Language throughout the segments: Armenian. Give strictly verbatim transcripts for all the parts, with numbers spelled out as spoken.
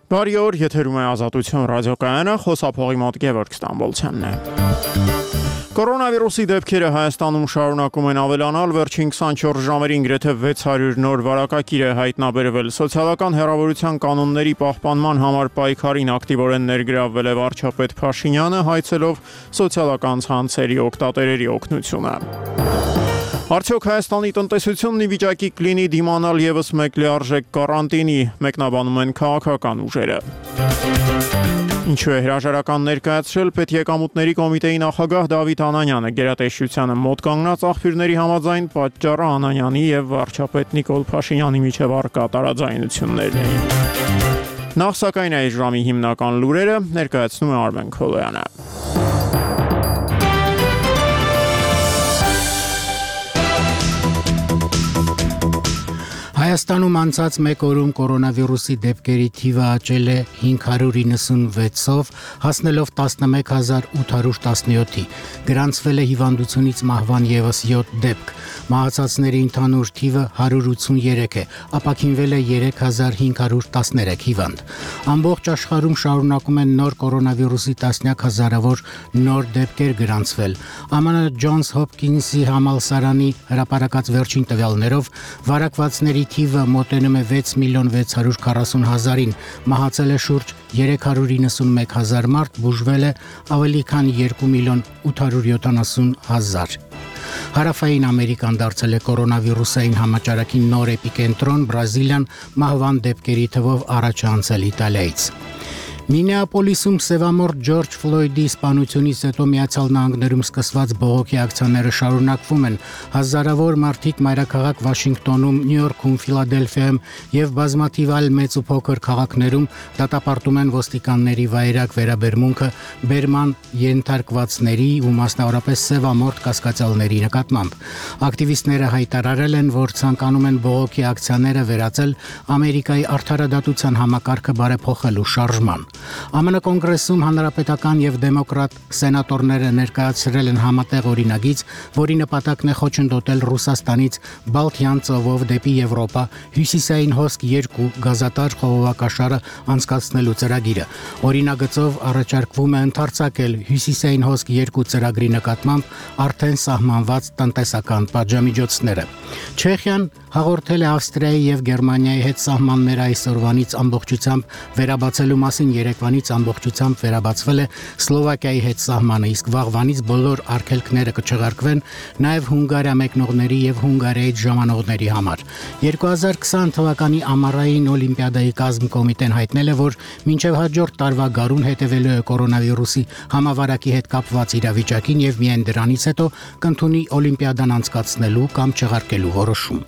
Բարի օր, եթերում է Ազատություն ռադիոկայանը, խոսափողի մոտ Գևորգ Ստամբոլցյանն է։ Կորոնավիրուսի դեպքերը Հայաստանում շարունակում են ավելանալ, վերջին քսանչորս ժամերին գրեթե վեց հարյուր նոր վարակագիր է հայտնաբերվել։ Սոցիալական հեռավորության կանոնների պահպանման համար պայքարին ակտիվորեն ներգրավվել է վարչապետ Փաշինյանը, հայցելով սոցիալական ցանցերի օգտատերերի օգնությունը։ Արդյոք Հայաստանի տնտեսությունն ի վիճակի կլինի դիմանալ ևս մեկ լիարժեք կարանտինի, մեկնաբանում են քաղաքական ուժերը։ Ինչու է հրաժարական ներկայացրել Պետեկամուտների կոմիտեի նախագահ Դավիթ Անանյանը, գերատեսչությանը մոտ կանգնած աղբյուրների համաձայն պատճառը Անանյանի եւ վարչապետ Նիկոլ Փաշինյանի միջև առկա տարաձայնություններն էին։ Նախ սակայն այս ժամի հիմնական լուրերը ներկայացնում է Արմեն Քոլոյանը։ Հայաստանում անցած մեկ օրում կորոնավիրուսի դեպքերի թիվը աճել է հինգ հարյուր իննսունվեցով, հասնելով տասնմեկ հազար ութ հարյուր տասնյոթի։ Գրանցվել է հիվանդությունից մահվան ևս յոթ դեպք։ Մահացածների ընդհանուր թիվը հարյուր ութսուններեք է, ապաքինվել է երեք հազար հինգ հարյուր տասներեք հիվանդ։ Ամբողջ աշխարհում շարունակում են նոր կորոնավիրուսի տասնյակ հազարավոր նոր դեպքեր գրանցվել։ ԱՄՆ Ջոնս Հոփքինսի համալսարանի հրապարակած վերջին տվյալներով վարակվածների թիվը մոտենում է վեց միլիոն վեց հարյուր քառասուն հազարին, մահացել է շուրջ երեք հարյուր իննսունմեկ հազար մարդ, բուժվել է ավելի քան երկու միլիոն ութ հարյուր յոթանասուն հազար։ Հարավային Ամերիկան դարձել է կորոնավիրուսային համաճարակի նոր էպիկենտրոն, Բրազիլիան մահվան դեպքերի թվով առաջ է անցել Իտալիայից։ Մինեապոլիսում սևամորթ Ջորջ Ֆլոյդի սպանությունից հետո Միացյալ Նահանգներում սկսված բողոքի ակցիաները շարունակվում են։ Հազարավոր մարդիկ մայրաքաղաք Վաշինգտոնում, Նյու Յորքում, Ֆիլադելֆիայում եւ բազմաթիվ այլ մեծ ու փոքր քաղաքներում դատապարտում են ոստիկանների վայրագ վերաբերմունքը բերման ենթարկվածների ու մասնավորապես սևամորթ կասկածյալների նկատմամբ։ Ակտիվիստները հայտարարել են, որ ցանկանում են բողոքի ակցիաները վերածել Ամերիկայի արդարադատության համակարգը բարեփոխելու շարժման։ ԱՄՆ կոնգրեսում հանրապետական եւ դեմոկրատ սենատորները ներկայացրել են համատեղ օրինագիծ, որի նպատակն է խոչընդոտել Ռուսաստանից Բալթյան ծովով դեպի Եվրոպա հյուսիսային հոսք երկու գազատար խողովակաշարը անցկացնելու ծրագիրը։ Օրինագծով առաջարկվում է ընդարձակել հյուսիսային հոսք երկու ծրագրի նկատմամբ արդեն սահմանված տնտեսական պատժամիջոցները։ Չեխիան հաղորդել է Ավստրիայի եւ Գերմանիայի հետ սահմանները այսօրվանից ամբողջությամբ վերաբացելու մասին երեկվանից ամբողջությամբ վերաբացվել է Սլովակիայի հետ սահմանը, իսկ վաղվանից բոլոր արգելքները կչեղարկվեն նաև Հունգարիա մեկնողների եւ Հունգարիայից ժամանողների համար։ երկու հազար քսան թվականի ամառային օլիմպիադայի կազմկոմիտեն հայտնել է, որ մինչև հաջորդ տարվա գարուն հետևելու է կորոնավիրուսի համավարակի հետ կապված իրավիճակին եւ միայն դրանից հետո կընդունի օլիմպիադան անցկացնելու կամ չեղարկելու որոշում։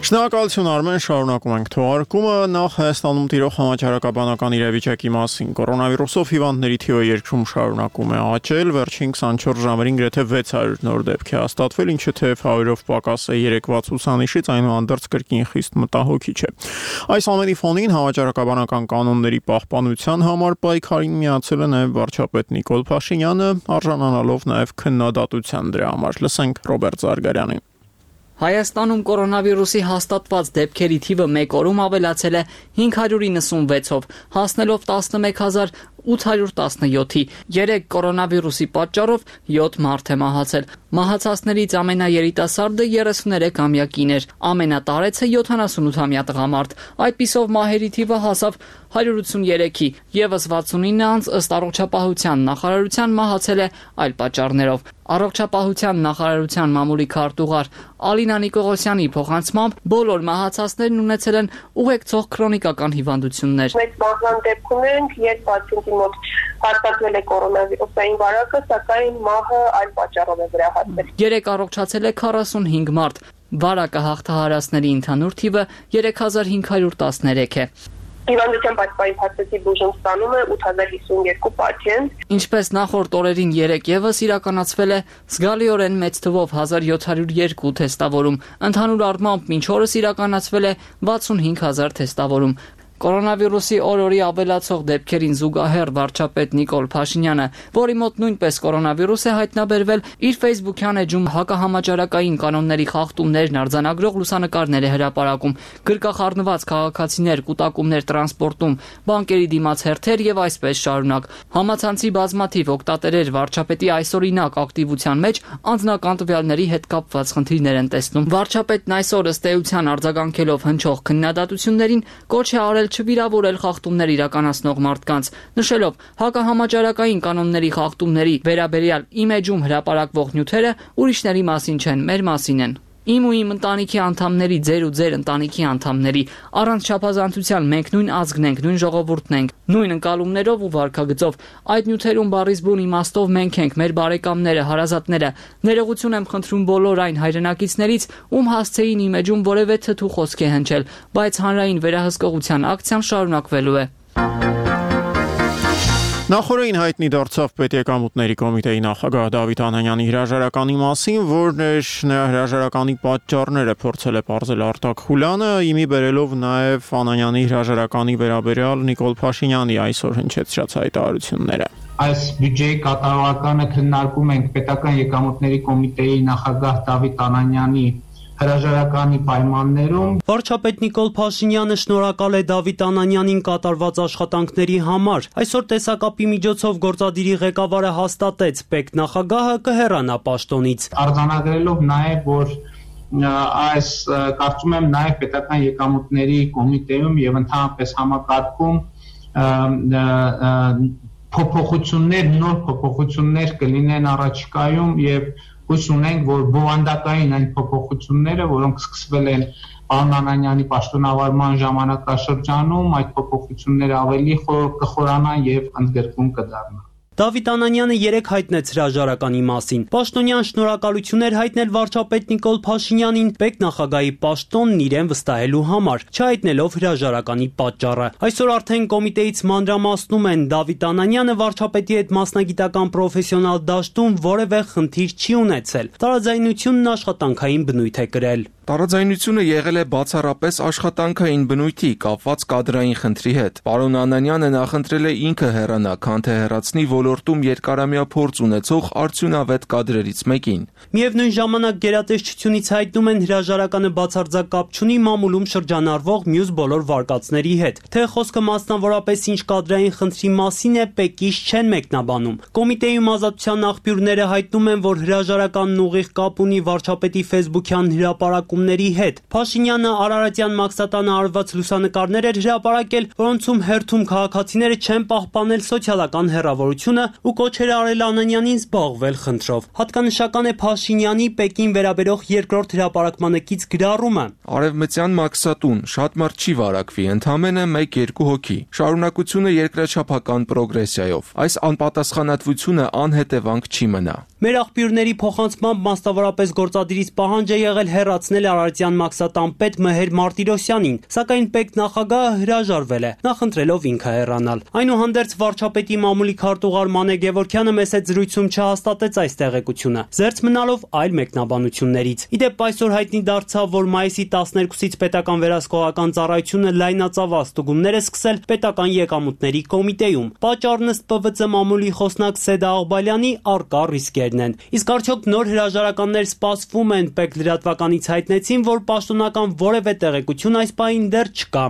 Շնորհակալություն Արմեն, շարունակում ենք թողարկումը։ Նախ Հայաստանում տիրող համաճարակաբանական իրավիճակի մասին։ Կորոնավիրուսով հիվանդների թիվը երկրում շարունակում է աճել, վերջին քսանչորս ժամերին գրեթե վեց հարյուր նոր դեպք է հաստատվել, ինչը թեև հարյուրով պակաս է երեկվա ցուցանիշից, այնուհանդերձ կրկին խիստ մտահոգիչ է։ Այս ամենի ֆոնին համաճարակաբանական կանոնների պահպանության համար պայքարին միացել է նաև վարչապետ Նիկոլ Փաշինյանը, արժանանալով նաև քննադատության դրա համար։ Լսենք Ռոբերտ Զարգարյանին։ Հայաստանում կորոնավիրուսի հաստատված դեպքերի թիվը մեկ օրում ավելացել է հինգ հարյուր իննսունվեցով, հասնելով տասնմեկ հազար ութ հարյուր տասնյոթի։ Երեք կորոնավիրուսի պատճառով յոթ մարդ է մահացել։ Մահացածներից ամենաերիտասարդը երեսուներեքամյա կին էր, ամենատարեցը յոթանասունութամյա տղամարդ։ Այդպիսով մահերի թիվը հասավ հարյուր ութսուներեքի, եւս վաթսունինը անց ըստ առողջապահության նախարարության մահացել է այլ պատճառներով։ Առողջապահության նախարարության մամուլի քարտուղար Ալինա Նիկողոսյանի փոխանցմամբ բոլոր մահացածներն ունեցել են ուղեկցող քրոնիկական հիվանդություններ։ Մեծ մահվան դեպքում ենք, երբ պացիենտի մոտ հաստատվել է կորոնավիրուսային վարակը, սակայն մահը այլ պատճառով է վերահասվել։ Երեք առողջացել է քառասունհինգ մարդ։ Վարակը հաղթահարածների ընդհանուր թիվը երեք հազար հինգ հարյուր տասներեք է։ Հիվանդության պատճառի փաստացի բուժում ստանում է ութ հազար հիսուն երկու պացիենտ։ Ինչպես նախորդ օրերին երեք եւս իրականացվել է զգալիորեն մեծ թվով հազար յոթ հարյուր երկու թեստավորում, ընդհանուր առմամբ մինչ օրս իրականացվել է վաթսունհինգ հազար թեստավորում։ Կորոնավիրուսի օր-օրի ավելացող դեպքերին զուգահեռ վարչապետ Նիկոլ Փաշինյանը, որի մոտ նույնպես կորոնավիրուս է հայտնաբերվել, իր Facebook-յան էջում հակահամաճարակային կանոնների խախտումներն արձանագրող լուսանկարներ է հրապարակում, գրկախառնված քաղաքացիներ, կուտակումներ տրանսպորտում, բանկերի դիմաց հերթեր եւ այսպես շարունակ։ Համացանցի բազմաթիվ օգտատերեր վարչապետի այսօրինակ ակտիվության մեջ անձնական տվյալների հետ կապված խնդիրներ են տեսնում։ Վարչապետն այսօր ըստ էության արձագանքելով հնչող քննադատություններին կոչ է արել չվիրավորել խախտումներ իրականացնող մարդկանց, նշելով հակահամաճարակային կանոնների խախտումների վերաբերյալ իմեջում հրապարակվող նյութերը ուրիշների մասին չեն, մեր մասին են։ Իմ ու իմ ընտանիքի անդամների, ձեր ու ձեր ընտանիքի անդամների, առանց չափազանցության մենք նույն ազգն ենք, նույն ժողովուրդն ենք, նույն ընկալումներով ու վարքագծով։ Այդ նյութերում բառից բուն իմաստով մենք ենք, մեր բարեկամները, հարազատները։ Ներողություն եմ խնդրում բոլոր այն հայրենակիցներից, ում հասցեին իմեջում որևէ թթու խոսք է հնչել, բայց հանրային վերահսկողության ակցիան շարունակվելու է։ Նախորդին հայտնի դարձավ Պետեկամուտների կոմիտեի նախագահ Դավիթ Անանյանի հրաժարականի մասին, որն էր նրա հրաժարականի պատճառները փորձել է պարզել Արտակ Խուլյանը, իմի բերելով նաև Անանյանի հրաժարականի վերաբերյալ Նիկոլ Փաշինյանի այսօր հնչեցրած հայտարարությունները։ Այս բյուջեի կատարողականը քննարկում ենք Պետական եկամուտների կոմիտեի նախագահ Դավիթ Անանյանի հրաժարականի պայմաններում։ Վարչապետ Նիկոլ Փաշինյանը շնորհակալ է Դավիթ Անանյանին կատարված աշխատանքների համար։ Այսօր տեսակապի միջոցով գործադիրի ղեկավարը հաստատեց, ՊԵԿ նախագահը կհեռանա պաշտոնից։ Արձանագրելով նաև, որ այս կարծում եմ նաև Պետական եկամուտների կոմիտեում եւ ընդհանրապես համակարգում փոփոխություններ, նոր փոփոխություններ կլինեն առաջիկայում եւ հույս ունենք, որ բովանդակային այն փոփոխությունները, որոնք սկսվել են պարոն Անանյանի պաշտոնավարման ժամանակաշրջանում, այդ փոփոխությունները ավելի կխորանան եւ ընդգրկուն կդառնան։ Դավիթ Անանյանը երեկ հայտնեց հրաժարականի մասին։ Պաշտոնյան շնորհակալություններ հայտնել վարչապետ Նիկոլ Փաշինյանին ՊԵԿ նախագահի պաշտոնն իրեն վստահելու համար, չհայտնելով հրաժարականի պատճառը։ Այսօր արդեն կոմիտեից մանրամասնում են Դավիթ Անանյանը վարչապետի հետ մասնագիտական պրոֆեսիոնալ դաշտում որևէ խնդիր չի ունեցել։ Տարաձայնությունն աշխատանքային բնույթ է կրել։ Տարաձայնությունը եղել է բացառապես աշխատանքային բնույթի, կապված կադրային խնդրի հետ։ Պարոն Անանյանը նախընտրել է ինքը հեռանա, քան թե հեռացնի ոլորտում երկարամյա փորձ ունեցող արդյունավետ կադրերից մեկին։ Միևնույն ժամանակ գերատեսչությունից հայտնում են հրաժարականը բացարձակ կապ չունի մամուլում շրջանառվող մյուս բոլոր վարկածների հետ։ Թե խոսքը մասնավորապես ինչ կադրային խնդրի մասին է, ՊԵԿ-ից չեն մեկնաբանում։ Կոմիտեում ազատության աղբյուրները հայտնում են, որ հրաժարականն ուղիղ կապ ունի վարչապետի Facebook-յան հրապարակումների հետ։ Փաշինյանը Արարատյան Մաքսատանը արված լուսանկարներ էր հրապարակել, որոնցում հերթում քաղաքացիները չեն պահպանել սոցիալական հեռավորությունը ու կոչեր արել Անանյանին զբաղվել խնդրով։ Հատկանշական է Փաշինյանի ՊԵԿ-ին վերաբերող երկրորդ հրապարակմանը կից գրառումը։ Արևմտյան Մաքսատուն շատ մարդ չի վարակվի, ընդամենը մեկ-երկու հոգի։ Շարունակությունը երկրաչափական պրոգրեսիայով։ Այս անպատասխանատվությունը անհետևանք չի մնա։ Մեր աղբյուրների փոխանցմամբ մասնավորապես գործադիրից պահանջ է եղել հեռացնել Արարատյան Մաքսատան պետ Մհեր Մարտիրոսյանին, սակայն ՊԵԿ նախագահը հրաժարվել է, նախընտրելով ինքը հեռանալ։ Այնուհանդերձ վարչապետի մամուլի քարտուղար Մանե Գևորգյանը մեծ զրույցում չհաստատեց այս տեղեկությունը, զերծ մնալով այլ մեկնաբանություններից։ Իդեպ այսօր հայտնի դարձավ, որ մայիսի տասներկուսից պետական վերահսկողական ծառայությունը լայնածավալ ստուգումներ է սկսել Պետական եկամուտների կոմիտեում։ Պատճառն ըստ Պ V C մամուլի խոսնակ Սեդա Աղբալյանի առկա ռիսկերն են։ Իսկ արդյոք նոր հրաժարականներ սպասվում են, ՊԵԿ լրատվականից հայտնեցին, որ պաշտոնական որևէ տեղեկություն այս պահին դեռ չկա։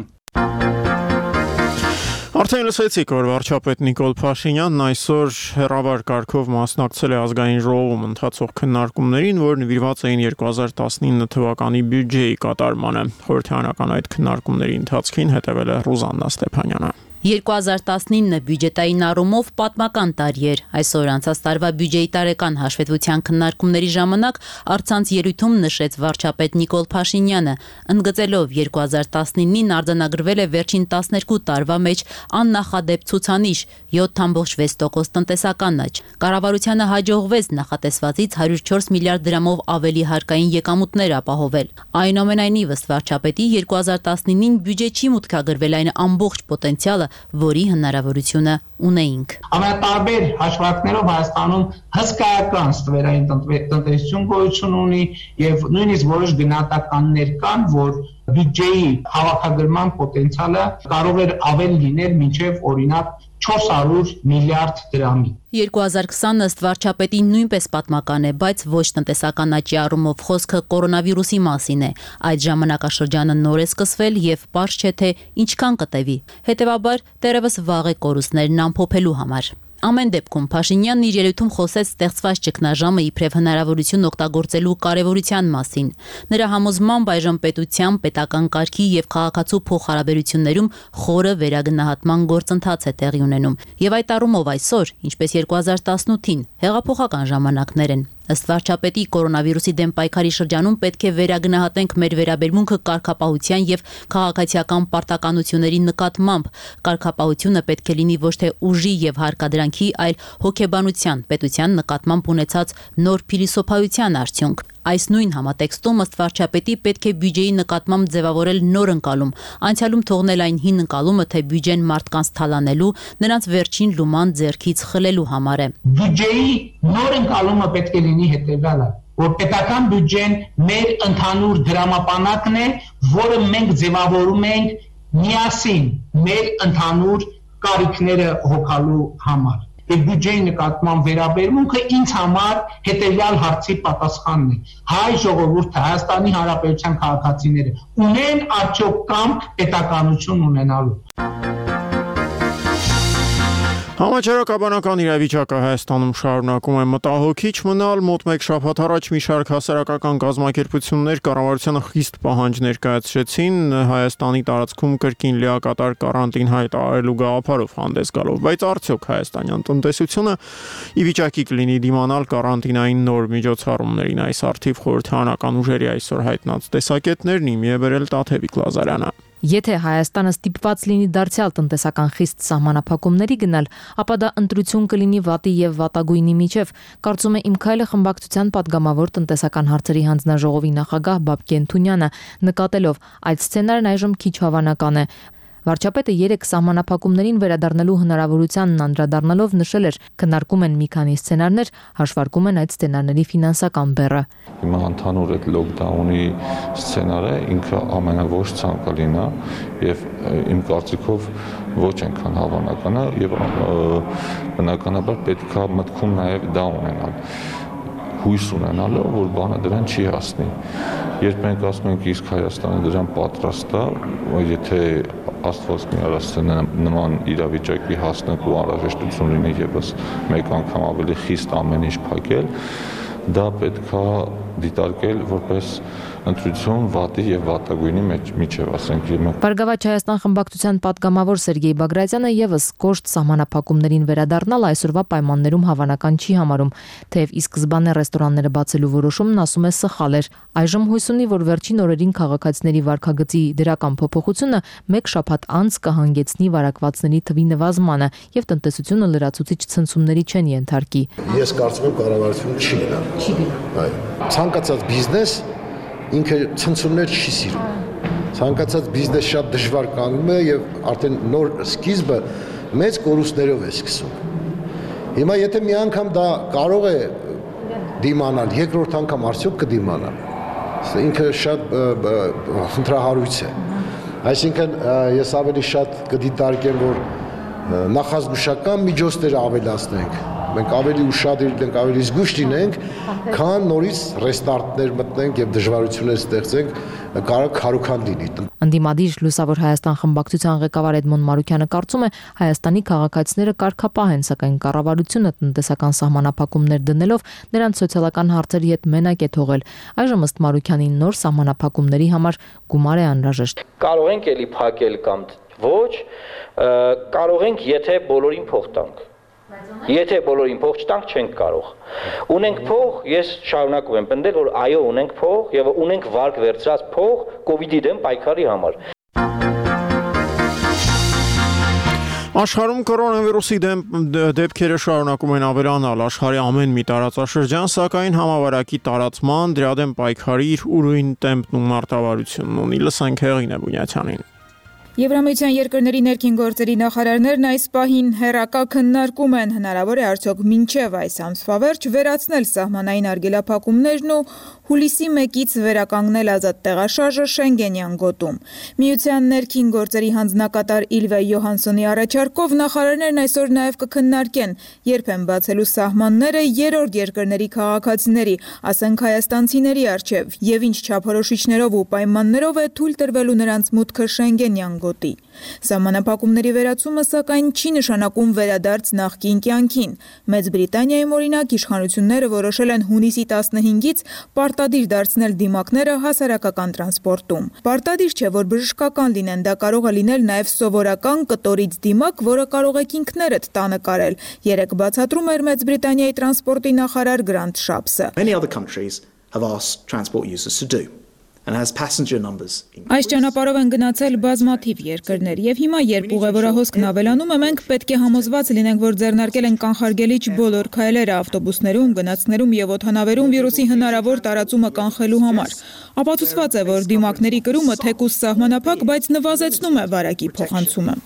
Արդեն լսեցիք, որ վարչապետ Նիկոլ Փաշինյանն այսօր հեռավար կարգով մասնակցել է ազգային ժողովում ընթացող քննարկումներին, որ նվիրված էին երկու հազար տասնինը թվականի բյուջեի կատարմանը։ Խորհրդարանական այդ քննարկումների ընթացքին հետևել է Ռուզաննա Ստեփանյանը։ երկու հազար տասնինը բյուջետային առումով պատմական տարի էր։ Այսօր անցած տարվա բյուջեի տարեկան հաշվետվության քննարկումների ժամանակ առցանց ելույթում նշեց վարչապետ Նիկոլ Փաշինյանը, ընդգծելով երկու հազար տասնինին արձանագրվել է վերջին տասներկու տարվա մեջ աննախադեպ ցուցանիշ յոթ տասնյոթ վեց տոկոս տնտեսական աճ։ Կառավարությանը հաջողվեց նախատեսվածից հարյուր չորս միլիարդ դրամով ավելի հարկային եկամուտներ ապահովել։ Այնուամենայնիվ, ըստ վարչապետի, երկու հազար տասնինին բյուջե չի մուտքագրվել այն ամբողջ պոտենցիալը, որի հնարավորությունը ունեինք։ Ամենատարբեր հաշվարկներով Հայաստանում հսկայական ստվերային տնտեսություն գոյություն ունի եւ նույնիսկ որոշ գնահատականներ կան, որ բյուջեի հավաքագրման պոտենցիալը կարող էր ավել լինել մինչև օրինակ չորս հարյուր միլիարդ դրամի։ երկու հազար քսանը ըստ վարչապետի նույնպես պատմական է, բայց ոչ տնտեսական աճի առումով խոսքը կորոնավիրուսի մասին է։ Այդ ժամանակաշրջանը նոր է սկսվել եւ պարզ չէ թե ինչքան կտևի։ Հետևաբար դեռևս վաղ է կորուստներն ամփոփելու համար։ Ամեն դեպքում Փաշինյանն իր ելույթում խոսեց ստեղծված ճգնաժամը իբրև հնարավորություն օգտագործելու կարևորության մասին։ Նրա համոզմամբ այժմ պետության, պետական կարգի եւ քաղաքացու փոխհարաբերություններում խորը վերագնահատման գործընթաց է տեղի ունենում։ Եվ այդ առումով այսօր, ինչպես երկու հազար տասնութին, հեղափոխական ժամանակներ են։ Ըստ վարչապետի, կորոնավիրուսի դեմ պայքարի շրջանում պետք է վերագնահատենք մեր վերաբերմունքը կարգապահության եւ քաղաքացիական պարտականությունների նկատմամբ։ Կարգապահությունը պետք է լինի ոչ թե ուժի եւ հարկադրանքի, այլ հոգեբանության, պետության նկատմամբ ունեցած նոր փիլիսոփայության արդյունք։ Այս նույն համատեքստում ըստ վարչապետի պետք է բյուջեի նկատմամբ ձևավորել նոր ընկալում, անցյալում թողնել այն հին ընկալումը, թե բյուջեն մարդկանց թալանելու, նրանց վերջին լուման ձեռքից խլելու համար է։ Բյուջեի նոր ընկալումը պետք է լինի հետևյալը, որ պետական բյուջեն մեր ընդհանուր դրամապանակն է, որը մենք ձևավորում ենք միասին մեր ընդհանուր կարիքները հոգալու համար։ Եվ բյուջեի նկատմամբ վերաբերմունքը ինձ համար հետևյալ հարցի պատասխանն է. հայ ժողովուրդը, Հայաստանի Հանրապետության քաղաքացիները ունեն արդյոք կամք պետականություն ունենալու։ Համաճարակաբանական իրավիճակը Հայաստանում շարունակում է մտահոգիչ մնալ։ Մոտ մեկ շաբաթ առաջ մի շարք հասարակական կազմակերպություններ կառավարությանը խիստ պահանջ ներկայացրեցին Հայաստանի տարածքում կրկին լիակատար կարանտին հայտարարելու գաղափարով հանդես գալով, բայց արդյոք հայաստանյան տնտեսությունը ի վիճակի կլինի դիմանալ կարանտինային նոր միջոցառումներին։ Այս արդիվ խորհրդարանական ուժերի այսօր հայտնած տեսակետներն իմի է բերել Տաթևիկ Լազարյանը։ Եթե Հայաստանը ստիպված լինի դարձյալ տնտեսական խիստ սահմանափակումների գնալ, ապա դա ընտրություն կլինի վատի եւ վատագույնի միջև, կարծում է Իմ քայլը խմբակցության падգամավոր տնտեսական հարցերի հանձնաժողովի նախագահ Բաբկեն Թունյանը, նկատելով այդ սցենարն այժմ քիչ հավանական է։ Վարչապետը երեք սահմանափակումներին վերադառնալու հնարավորությանն անդրադառնալով նշել էր, քննարկում են մի քանի սցենարներ, հաշվարկում են այդ սցենարների ֆինանսական բեռը։ Հիմա ընդհանուր այդ լոկդաունի սցենարը ինքը ամենաոչ ցանկալին է եւ իմ կարծիքով ոչ այնքան հավանական է եւ բնականաբար պետք է մտքում նաեւ դա ունենալ։ Հույս ունենալով, որ բանը դրան չի հասնի։ Երբ մենք ասում ենք իսկ Հայաստանը դրան պատրաստ է, եթե Աստված մի արասցնե նման իրավիճակի հասնելու անհրաժեշտություն լինի եւս մեկ անգամ ավելի խիստ ամեն ինչ փակել, դա պետք է դիտարկել որպես ընտրություն վատի եւ վատագույնի միջև, ասենք իմը։ Բարգավաճ Հայաստան խմբակցության падգամավոր Սերգեյ Բագրատյանը եւս կոշտ սահմանափակումներին վերադառնալ այսօրվա պայմաններում հավանական չի համարում, թեև ի սկզբանե ռեստորանները բացելու որոշումն ասում է սխալ էր։ Այժմ հույս ունի, որ վերջին օրերին քաղաքացիների վարքագծի դրական փոփոխությունը մեկ շաբաթ անց կհանգեցնի վարակվածների թվի նվազմանը եւ տնտեսությունը լրացուցիչ ցնցումների չեն ենթարկի։ Ես կարծում եմ կառավարությունը չի գնա։ Չի գնա։ Այո։ Ցանկացած բիզնես ինքը ցնցումներ չի սիրում։ Ցանկացած բիզնես շատ դժվար կանգնում է եւ արդեն նոր սկիզբը մեծ կորուստներով է սկսում։ Հիմա եթե մի անգամ դա կարող է դիմանալ, երկրորդ անգամ արդյոք կդիմանա։ Ինքը շատ խնդրահարույց է։ Այսինքն ես ավելի շատ կդիտարկեմ, որ նախազգուշական միջոցները ավելացնենք, մենք ավելի ուշադիր ենք, ավելի զգույշ լինենք, քան նորից ռեստարտներ մտնենք եւ դժվարություններ ստեղծենք, կարող քարոքան լինի։ Անդիմադիր Լուսավոր Հայաստան խմբակցության ղեկավար Էդմոն Մարուկյանը կարծում է Հայաստանի քաղաքացիները կարգապահ են, սակայն կառավարությունը տնտեսական սահմանափակումներ դնելով նրանց սոցիալական հարցերի հետ մենակ է թողել։ Այժմ ըստ Մարուկյանի նոր սահմանափակումների համար գումար է անհրաժեշտ։ Կարող ենք էլի փակել կամ Ոչ, կարող ենք, եթե բոլորին փող տանք։ Եթե բոլորին փող չտանք, չենք կարող։ Ունենք փող, ես շարունակում եմ պնդել, որ այո, ունենք փող եւ ունենք վարկ վերցրած փող կոവിഡ്ի դեմ պայքարի համար։ Աշխարհում կորոնավիրուսի դեմ դեպքերը շարունակում են ավելանալ, աշխարհի ամեն մի տարածաշրջան, սակայն համավարակի տարածման, դրա դեմ պայքարի իր ուրույն տեմպն ու մարտավարությունն ունի։ Լսենք Հեղինե Բունյացյանին։ Եվրամիության երկրների ներքին գործերի նախարարներն այս պահին հեռակա քննարկում են հնարավոր է արդյոք մինչև այս ամսվա վերջ վերացնել սահմանային արգելափակումներն ու հուլիսի մեկից վերականգնել ազատ տեղաշարժը Շենգենյան գոտում։ Միության ներքին գործերի հանձնակատար Իլվա Յոհանսոնի առաջարկով նախարարներն այսօր նաև կքննարկեն երբ են բացելու սահմանները երրորդ երկրների քաղաքացիների, ասենք հայաստանցիների առջև, եւ ինչ չափորոշիչներով ու պայմաններով է թույլ տրվելու նրանց մուտքը Շենգենյան գոտի։ Սահմանափակումների վերացումը սակայն չի նշանակում վերադարձ նախկին կյանքին։ Մեծ Բրիտանիայում օրինակ իշխանությունները որոշել են հունիսի տասնհինգից պարտադիր դարձնել դիմակները հասարակական տրանսպորտում։ Պարտադիր չէ, որ բժշկական լինեն, դա կարող է լինել նաև սովորական կտորից դիմակ, որը կարող եք ինքներդ տանը կարել։ Երեկ բացատրում էր Մեծ Բրիտանիայի տրանսպորտի նախարար Գրանտ Շապսը։ Many other countries have asked transport users to do. Այս ճանապարհով են գնացել բազմաթիվ երկրներ եւ հիմա երբ ուղևորահոսքն ավելանում է, մենք պետք է համոզված լինենք, որ ձեռնարկել են կանխարգելիչ բոլոր քայլերը ավտոբուսներում, գնացքներում եւ օդանավերում վիրուսի հնարավոր տարածումը կանխելու համար։ Ապացուցված է, որ դիմակների կրումը թեկուզ սահմանափակ, բայց նվազեցնում է վարակի փոխանցումը։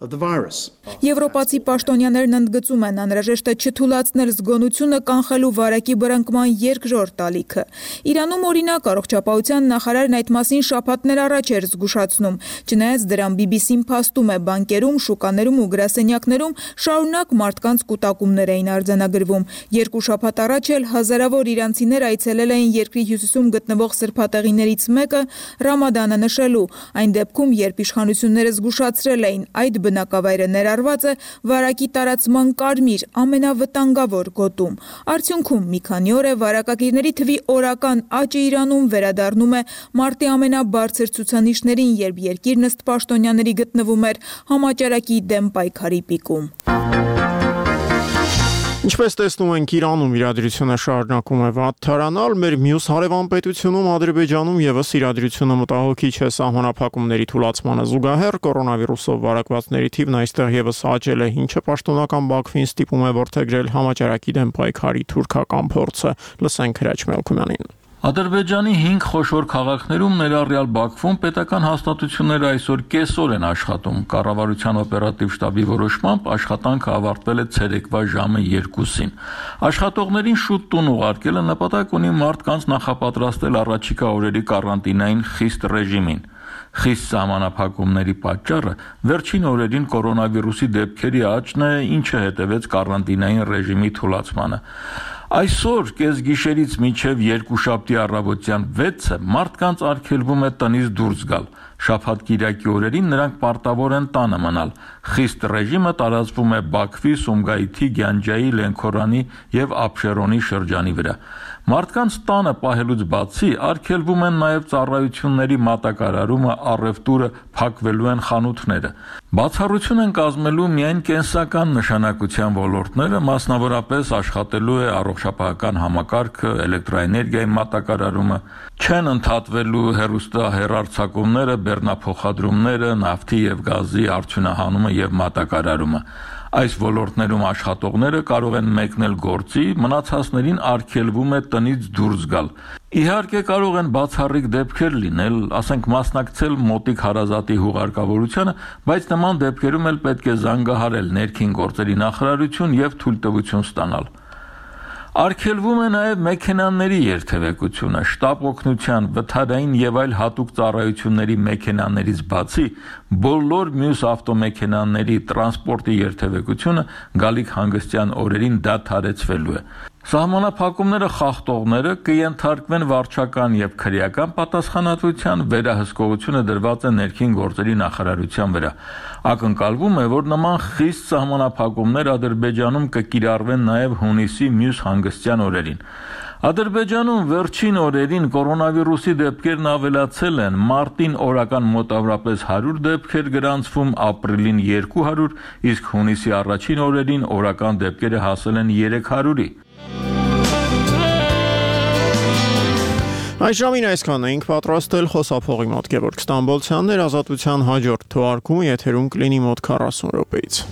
Եվրոպացի պաշտոնյաներն ընդգծում են անհրաժեշտ է չթուլացնել զգոնությունը կանխելու վարակի բռնկման երկրորդ ալիքը։ Իրանում օրինակ առողջապահության նախարարն այդ մասին շաբաթներ առաջ էր զգուշացնում, չնայած դրան բի բի սին փաստում է բանկերում, շուկաներում ու գրասենյակներում շարունակ մարդկանց կուտակումներ էին արձանագրվում։ Երկու շաբաթ առաջ էլ հազարավոր իրանցիներ այցելել էին երկրի հյուսիսում գտնվող սրբատեղիներից մեկը Ռամադանը նշելու, այն դեպքում, երբ իշխանությունները զգուշացրել էին այդ բնակավայրը ներառված է վարակի տարածման կարմիր ամենավտանգավոր գոտում։ Արդյունքում մի քանի օր է վարակագիրների թվի օրական աճը Իրանում վերադառնում է մարտի ամենաբարձր ցուցանիշներին, երբ երկիրն ըստ պաշտոնյաների գտնվում էր համաճարակի դեմ պայքարի պիկում։ Ինչպես տեսնում ենք, Իրանում իրադրությունը շարունակում է վատթարանալ, մեր մյուս հարևան պետությունում Ադրբեջանում եւս իրադրությունը մտահոգիչ է սահմանափակումների թուլացմանը զուգահեռ կորոնավիրուսով վարակվածների թիվն այստեղ եւս աճել է, ինչը պաշտոնական Բաքվին ստիպում է որդեգրել համաճարակի դեմ պայքարի թուրքական փորձը։ Լսենք Հրաչ Մելքումյանին։ Ադրբեջանի հինգ խոշոր քաղաքներում ներառյալ Բաքվում պետական հաստատությունները այսօր կեսօր են աշխատում։ Կառավարության օպերատիվ շտաբի որոշմամբ աշխատանքը ավարտվել է ցերեկվա ժամը երկուսին։ Աշխատողներին շուտ տուն ուղարկելը նպատակ ունի մարդկանց նախապատրաստել առաջիկա օրերի կարանտինային խիստ ռեժիմին։ Խիստ սահմանափակումների պատճառը վերջին օրերին կորոնավիրուսի դեպքերի աճն է, ինչը հետևեց կարանտինային ռեժիմի թուլացմանը։ Այսօր կեսգիշերից մինչև երկուշաբթի առավոտյան վեցը մարդկանց արգելվում է տնից դուրս գալ։ Շաբաթ-կիրակի օրերին նրանք պարտավոր են տանը մնալ։ Խիստ ռեժիմը տարածվում է Բաքվի, Սումգայիթի, Գյանջայի, Լենքորանի եւ Աբշերոնի շրջանի վրա։ Մարդկանց տանը պահելուց բացի արգելվում են նաև ծառայությունների մատակարարումը, առևտուրը, փակվելու են խանութները։ Բացառություն են կազմելու միայն կենսական նշանակության ոլորտները, մասնավորապես աշխատելու է առողջապահական համակարգը, էլեկտրոէներգիայի մատակարարումը, չեն ընդհատվելու հեռուստահեռարձակումները, բեռնափոխադրումները, նավթի եւ գազի արդյունահանումը եւ մատակարարումը։ Այս ոլորտներում աշխատողները կարող են մեկնել գործի, մնացածներին արգելվում է տնից դուրս գալ։ Իհարկե կարող են բացառիկ դեպքեր լինել, ասենք մասնակցել մոտիկ հարազատի հուղարկավորությանը, բայց նման դեպքերում էլ պետք է զանգահարել ներքին գործերի նախարարություն եւ թույլտվություն ստանալ։ Արգելվում է նաև մեքենաների երթևեկությունը, շտապ օգնության, վթարային եւ այլ հատուկ ծառայությունների մեքենաներից բացի բոլոր մյուս ավտոմեքենաների տրանսպորտի երթևեկությունը գալիք հանգստյան օրերին դադարեցվելու է։ Սահմանափակումները խախտողները կենթարկվեն վարչական եւ քրեական պատասխանատվության, վերահսկողությունը դրված է ներքին գործերի նախարարության վրա։ Ակնկալվում է, որ նման խիստ սահմանափակումներ Ադրբեջանում կկիրառվեն նաև հունիսի մյուս հանգստյան օրերին։ Ադրբեջանում վերջին օրերին կորոնավիրուսի դեպքերն ավելացել են, մարտին օրական մոտավորապես հարյուր դեպքեր գրանցվում, ապրիլին երկու հարյուր, իսկ հունիսի առաջին օրերին օրական դեպքերը հասել են երեք հարյուրի։ Այս ժամին այսքան էինք պատրաստել, խոսափողի մոտ Գևորգ Ստամբոլցյանն էր, Ազատության հաջորդ թողարկումը եթերում կլինի մոտ քառասուն րոպեից։